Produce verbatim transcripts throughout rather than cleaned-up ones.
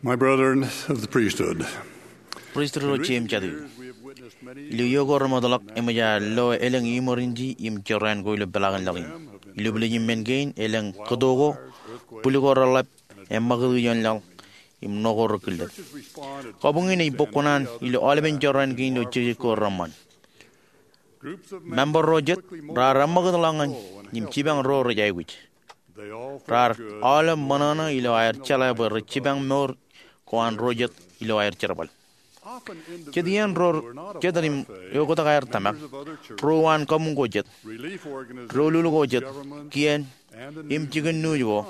My brethren of the priesthood, Pristut ro jeiū im jatū, ilo iiō ko remootḷọk eṃōj aer lo elōñ emergency im jorrāān ko ilo peḷaakin ḷọk in. Ilo bwilōñ in men kein elōñ kōto ko, bwil ko reḷḷap, eṃṃakūt iioon laḷ, im ṇo ko rekillet. Kabuñ in ej bōk kuṇaan ilo aolepen jorrāān kein ilo jekjek ko reṃṃan. Member ro jet raar eṃṃakūt ḷọk ñan im jipañ ro rej aikuj. Raar aolep ṃōṇōṇō ilo aer jeḷā bwe rej jipañ mour ko an ro jet ilo aer jerbal. Jet iien ro jet im eoktak aer tōmak, ro uwaan kabuñ ko jet, doulul ko jet, kien, im jikin nuuj ko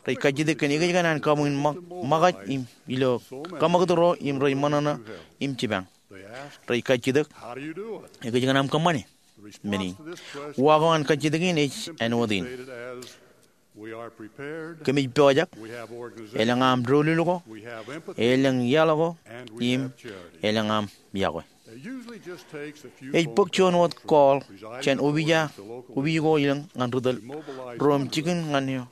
rej kajjitōk kōn ekōjkan an kabuñ in ṃōkaj im ilo kaṃakūt ro im rej ṃōṇōṇō im jipañ. Rej kajjitōk, "Ekōjkan aṃ kōṃṃane?" Men in, uwaak ko ñan kajjitōk in ej āinwōt in, "Kōmij pojak, elōñ aṃ doulul ko, elōñ iaḷ ko, im elōñ aṃ yokwe." Ej bōk juon wōt call jān opija, opij ko elōñ ñan ri tōl ro im jikin ñan eo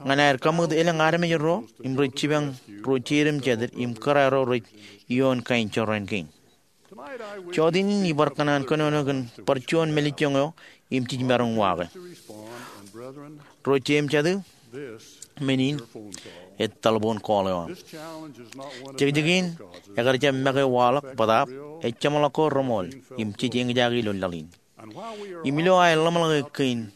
ñan aer kaṃakūt elōñ armej ro im rej jipañ ro jeid im jatid im kōrā ro rej iioon kain jorrāān kein. Jota in ibar kōṇaan kōnono kōn bar juon mālejjoñ eo im jej maroñ uwaake. Ro jeiū im jatū, men in ej telephone call eo aṃ. Jekjek in ekar jab make waḷọk bōtaab, ej jeṃḷọk ko reṃool im jej eñjake ilo laḷ in. Im ilo aer ḷōmṇak kein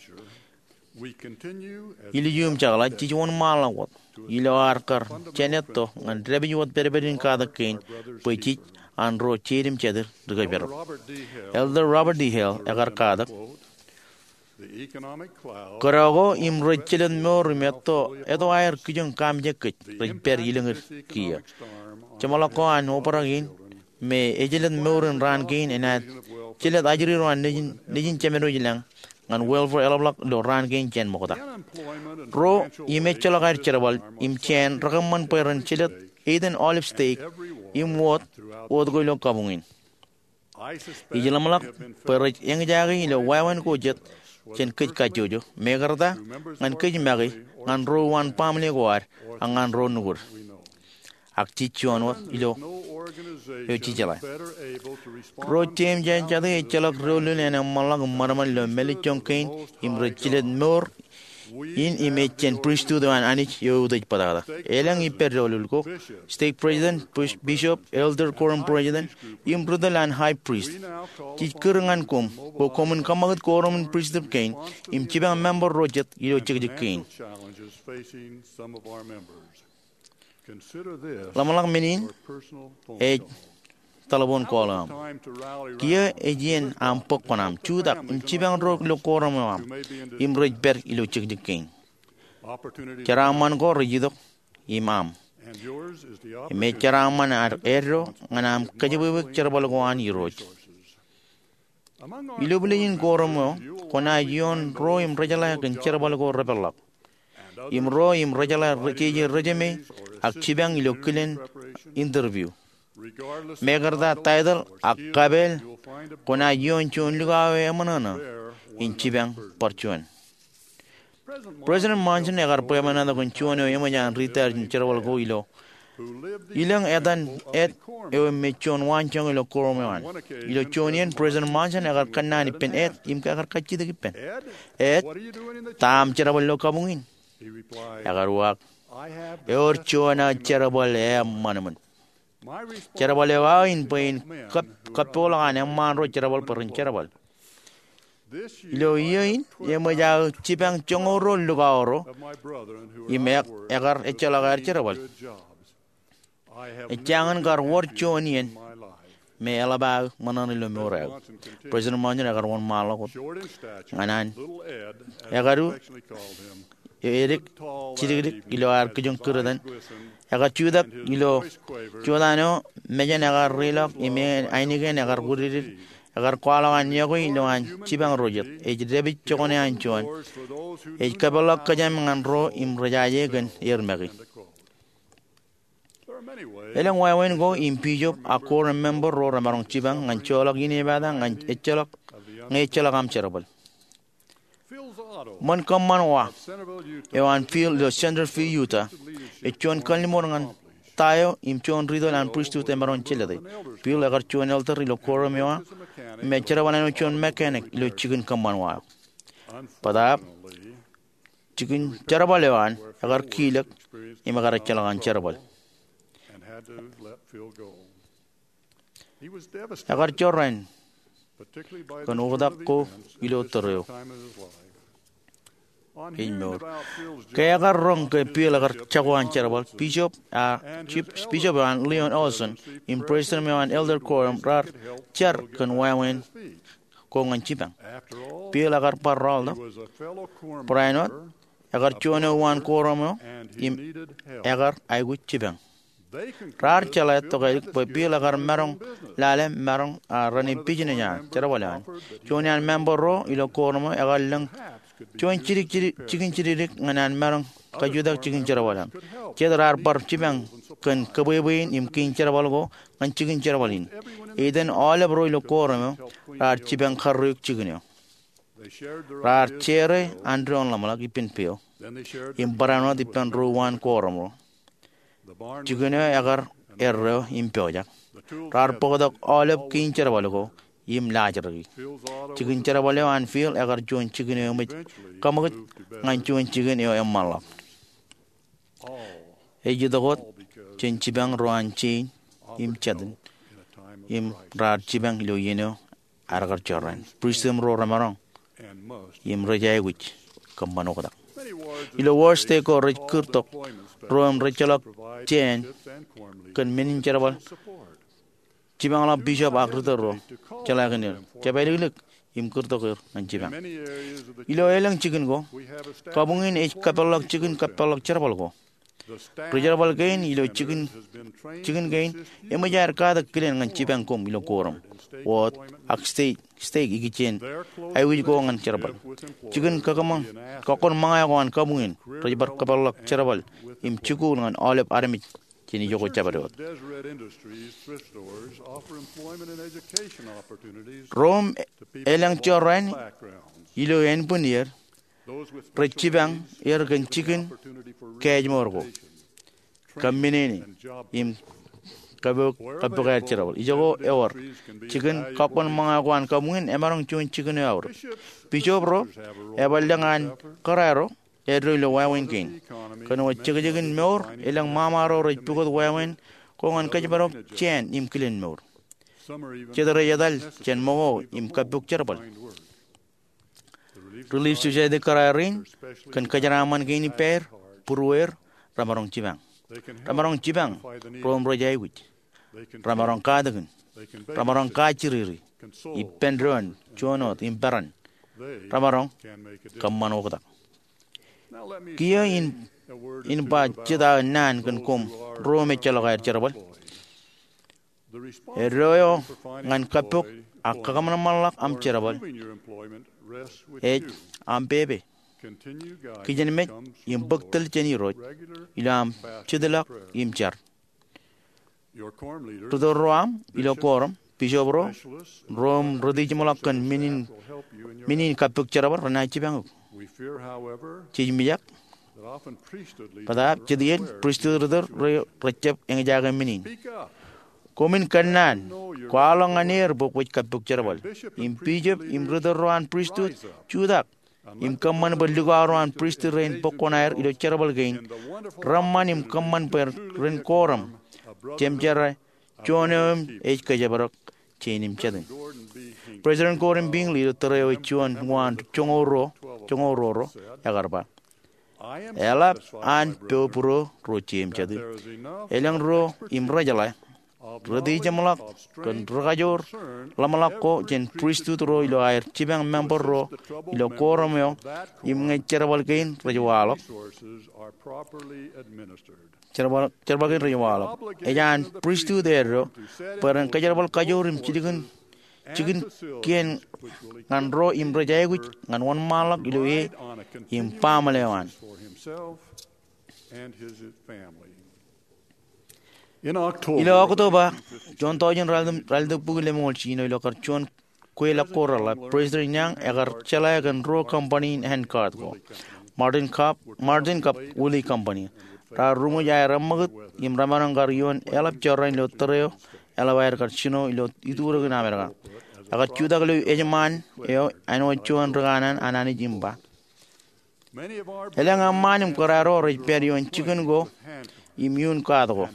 ilju im jekḷaj, jej wōnṃaanḷọk wōt ilo ad kar jān etto ñan dāpij wōt pedped in katak kein bwe jej an ro jeid im jatid ri kōjparok. Elder Robert D. Hale ekar katak, "Kōdọ ko im rej jelōt mour im etto, etto aer kijoñ kaamijak kōj rej pād ilōñūd kiiō. Jeṃḷọk ko an obrak in me ejelōt mour in raan kein enaaj jelōt ajri ro an Nejin, Nejin Jemedwōj ilañ ñan welfare eḷapḷọk ilo raan kein jān ṃokta. Ro im ejjeḷọk aer jerbal im jāān rekōṃṃan bwe ren jelōt eiten aolep stek im wōt, wōt ko ilo kabuñ in. Ij ḷōmṇak bwe rej eñjake ilo wāween ko jet jān kōj kajjojo, mekarta ñan kōj make ñan ro uwaan baaṃle ko ad ak ñan ro nukūd." Ak jej juon wōt ilo eo jejeḷā. Ro jeiū im jatū, ejjeḷọk doulul en eṃṃanḷọk im ṃadṃōd ilo mālejjoñ kein im rej jelōt mour in im ej jān pristut eo an Anij eo eutiej bōtata. Elōñ ippād doulul ko, stake president, bishop, elder, quorum president, im ri tōl an high priest. Jej kūr ñan koṃ bwe koṃwin kaṃakūt quorum in pristut kein im jipañ member ro jet ilo jekjek kein. Ḷōmṇak men in ej telephone call eo aṃ. Kiiō ej iien aṃ bōk kuṇaaṃ, jutak im jipañ ro ilo quorum eo aṃ im rej pād ilo jekjek kein. Jeraaṃṃan ko rej itok im aṃ. Im ej jeraaṃṃan ad eddo ñan aṃ kōjepwebwek jerbal ko an Irooj. Ilo bwilōñ in quorum eo, kwōnaaj iioon ro im rejeḷā kōn jerbal ko repeḷḷọk im ro im rejeḷā jeje resume ak jipañ ilo kilen interview. Mekarta title ak kapeel, kwōnaaj iioon juon lukao eo eṃōṇōṇō im jipañ bar juon. President Monson ekar bwebwenato kōn juon eo eṃōj an retired jān jerbal ko eo, ilōñ etan Ed eo me juon waanjoñak ilo quorum eo an. Ilo juon iien, President Monson ekar kōnnaan ippān Ed im ekar kajjitōk ippān, "Ed, ta aṃ jerbal ilo kabuñ in?" Ekar uwaak, "Ewōr juon aō jerbal eṃṃan ṃōn. Jerbal eo aō in bwe in kab-, kabbeḷọk an eṃṃaan ro jerbal bwe ren jerbal. Ilo iiō in eṃōj aō jipañ joñoul ruo lukao ro im ek-, ekar ejjeḷọk aer jerbal. Ejjañin kar wōr juon iien me eḷap aō ṃōṇōṇō ilo mour eo aō." President Monson ekar wōnṃaanḷọk wōt ñan an ekadu, edik, jidikdik ilo aer kijoñ kūr etan. Ekar jutak ilo jota eo, mejān ekar riḷọk im ainikien ekar wūdikdik. Ekar kwaḷọk an yokwe ilo an jipañ ro jet. Ej dāpij jokwane an juon. Ej kōpeḷḷọk kōjām ñan ro im rejaje kōn er make. Elōñ wāween ko im bishop ak quorum member ro remaroñ jipañ ñan joḷọk inepata ñe ejjeḷọk, ñe ejjeḷọk aṃ jerbal. Ṃōn kōṃṃan wa eo an Phil ilo Centerville, Utah, ej juon kalliṃur ñan ta eo im juon ri-tōl an pristut emaroñ jelōte. Bill ekar juon elder ilo quorum eo aō im ej jerbal āinwōt juon mechanic ilo jikin kōṃṃan wa eo. Bōtaab, jikin jerbal eo an ekar kilōk im ekar ejjeḷọk an jerbal. Ekar jorrāān kōn oktak ko ilo tōre eo ej mour. Ke ekar roñ ke Bill ekar jako an jerbal, bishop, a, chief bishop eo an Leon Olson im president eo an elder quorum raar jar kōn wāween ko ñan jipañ. Bill ekar bar rọọltok. Barāinwōt, ekar juon eo uwaan quorum eo im ekar aikuj jipañ. Raar jeḷā tokālik bwe Bill ekar maroñ lale maroñ a raan in business eo an jerbal eo an. Juon iaan member ro ilo quorum eo ekar lōñ juon jikin jidikdik ñan an maroñ kajutak jikin jerbal eo an. Jet raar bar jipañ kōn kōbwebwein im kein jerbal ko ñan jikin jerbal in. Etan aolep ro ilo quorum eo raar jipañ karreoik jikin eo. Raar share an doon ḷōmṇak ippān peo im barāinwōt ippān ro uwaan quorum ro. Jikin eo ekar erreo im pojak. Raar bōktok aolep kein jerbal ko im laajraki. Jikin jerbal eo an Bill ekar juon jikin eo eṃōj kaṃōkaj ñan juon jikin eo eṃṃanḷọk. Ej itok wōt jān jipañ ro an jein im jatin im raar jipañ ilo iien eo ad kar jorrāān. Pristut ro remaroñ im rej aikuj kōṃṃan oktak. Ilo wōr state ko rej kūrtok ro im rejjeḷọk jāān kōn men in jerbal jipañḷọk bishop ak ritōl ro jeḷā kōn er, jepāliklik im kūrtok er ñan jipañ. Ilo elōñ jikin ko, kabuñ in ej kapeḷḷọk jikin kapeḷḷọk jerbal ko. Ri jerbal kein ilo jikin kein eṃōj aer katak kilen ñan jipañ koṃ ilo quorum, wōt ak stake ikijjien aikuj ko ñan jerbal. Jikin kōkkoṃṃan eo ko an kabuñ in rej bar kapeḷḷọk jerbal im jikuuḷ ñan aolep armej jān ijoko jabdewōt. Ro im elōñ jorrāān ilo ānbwin iiō rej jipañ er kōn jikin kaājmour ko, kōmmenin im kappok aer jerbal. Ijoko ewōr, jikin kōkkoṃṃan eo ko an kabuñ in emaroñ juon jikin eo aorōk. Bishop ro eban lōñ an kōrā ro eddo ilo wāween kein. Kōn wōt jekjekin mour, elōñ ṃaṃa ro rej pukot wāween ko ñan kōjparok jāān im kilen mour. Jet rej etal jān ṃōko im kappok jerbal. Relief Society kōrā rein kōn kōjeraaṃṃan kein ippāer, būruweer, remaroñ jipañ. Remaroñ jipañ ro im rej aikuj. Remaroñ katakin. Remaroñ kajjiriri, ippān doon, juon wōt im peran. Remaroñ kōṃṃan oktak. Kiiō in, in ba jet aō naan kōn koṃ ro im ejjeḷọk aer jerbal. Eddo eo ñan kappok ak kakōṃanṃanḷọk aṃ jerbal ej aṃ pepe. Kijenmej im bōk tōl jān Irooj ilo aṃ jitḷọk im jar. Ritōl ro aṃ ilo quorum, bishop ro, ro im retijeṃḷọk kōn men in, men in kappok jerbal renaaj jipañ eok. Jej mijak, bōtaab jet iien pristut ritōl ro rejjab eñjake men in. Koṃwin kōnnaan, kwaḷọk ñan er bwe kwōj kappok jerbal. Im bishop im ritōl ro an pristut, jutak im kōṃṃan bwe likao ro an pristut rein bōk kuṇaer ilo jerbal kein, reṃṃan im kōṃṃan bwe ren quorum jemjerā juon eo im ej kōjparok jāān im jatin. President Gordon B. Hinckley ilo tōre eo ej juon uwaan joñoul ruo, joñoul ruo ro, ekar ba, eḷap an pojak būruo ro je im jatin. Elōñ ruo im rejeḷā retijeṃḷọk kōn rikajoor ḷōmṇak ko jān pristut ro ilo aer jipañ member ro ilo quorum eo im ñe jerbal kein rej waḷọk. Jerbal, jerbal kein rej waḷọk. Ej an pristut eddo bwe ren kōjerbal kajoor im jikin, jikin kien ñan ro im rej aikuj ñan wōnṃaanḷọk ilo e im baaṃle eo an. Ilo October, juon tọujin raelōñ, raelōñ bukwi lemñoul jiljino ilo kar juon kweilọk ko reḷap, President Young ekar jeḷā kōn ruo company in handcart ko, Martin Cup, Martin Cup Wheelie Company. Raar ruṃwij aer eṃṃakūt im remaroñ kar ioon eḷap jorrāān ilo tōre eo eḷap aer kar jino ilo iturekin Amerika. Ekar jutak ilo ejṃaan eo āinwōt juon ri kanaan an Anij im ba, elōñ eṃṃaan im kōrā ro rej pād ioon jikin ko im iuun kaat ko,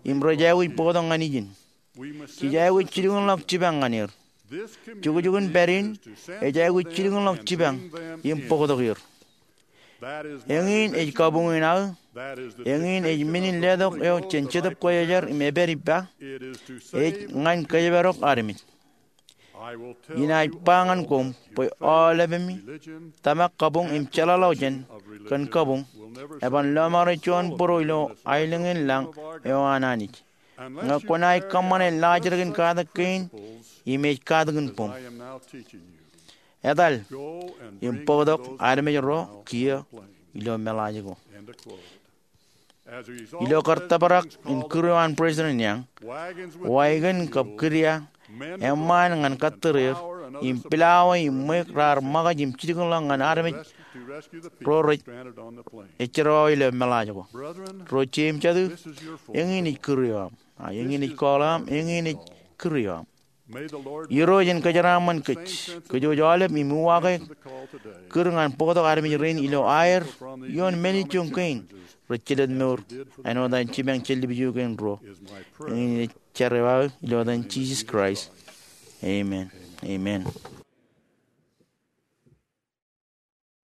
im rej aikuj bōktok ñan ijin. Jej aikuj jilkinḷọk jipañ ñan er. Jukjukin pād in ej aikuj jilkinḷọk jipañ im bōktok er. Eñin ej kabuñ in aō. Eñin ej men in letok eo jān Jetōb Kwōjarjar im epād ippa. Ej ñan kōjparok armej. Inaaj ba ñan koṃ bwe aolepemi, tōmak kabuñ im jeḷāḷọkjeṇ kōn kabuñ, eban lọmọọr juon bōro ilo aelōñ in lañ eo an Anij ñe kwōnaaj kōṃṃane laajrak in katak kein im ej katak in boṃ. Etal im bōktok armej ro kiiō ilo meḷaaj ko. Ilo kar tōprak in kūr eo an President Young, wagon kab kidia eṃṃaan ñan kōttōr er, im pilaawa im ṃweiuk raar ṃōkaj im jilkinḷọk ñan armej ro rej ejjeḷọk ilo meḷaaj ko. Ro jeiū im jatū, eñin ej kūr eo aṃ. A eñin ej call eo aṃ, eñin ej kūr eo aṃ. Irooj en kōjeraaṃṃan kōj. Kōj wōj aolep im uwaake kūr ñan bōktok armej rein ilo aer ioon men ijo kein rej jelōt mour āinwōt an jipañ jān lipju kein ruo. Eñin ej jar eo aō ilo etan Jisōs Kraist. Amen. Amen.